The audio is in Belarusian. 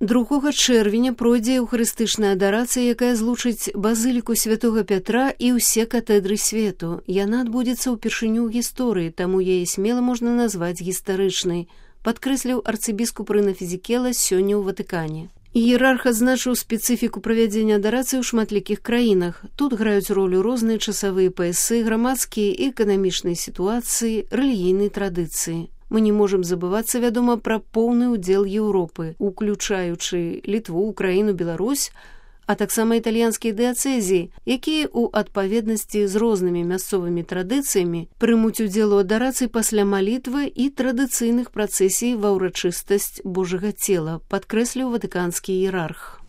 2 чэрвеня пройдзе еўхарыстычная адарацыя, якая злучыць базыліку святога Пятра і ўсе катэдры свету. Яна адбудзецца ўпершыню ў гісторыі, таму яе смела можна назваць гістарычнай, падкрэсліў арцыбіскуп Рына Фізікела сёння ў Ватыкане. Іерарх адзначыў спецыфіку правядзення адарацыі ў шматлікіх краінах. Тут граюць ролю розныя часавыя паясы, грамадскія і эканамічныя сітуацыі, рэлігійныя традыцыі. Мы не можам забывацца, вядома, пра поўны ўдзел Еўропы, уключаючы Літву, Украіну, Беларусь, а таксама італьянскія дыяцэзіі, якія ў адпаведнасці з рознымі мясцовымі традыцыямі прымуць удзел у адарацыі пасля малітвы і традыцыйных працэсій ва ўрачыстасць Божага цела, падкрэсліў ватыканскі іерарх.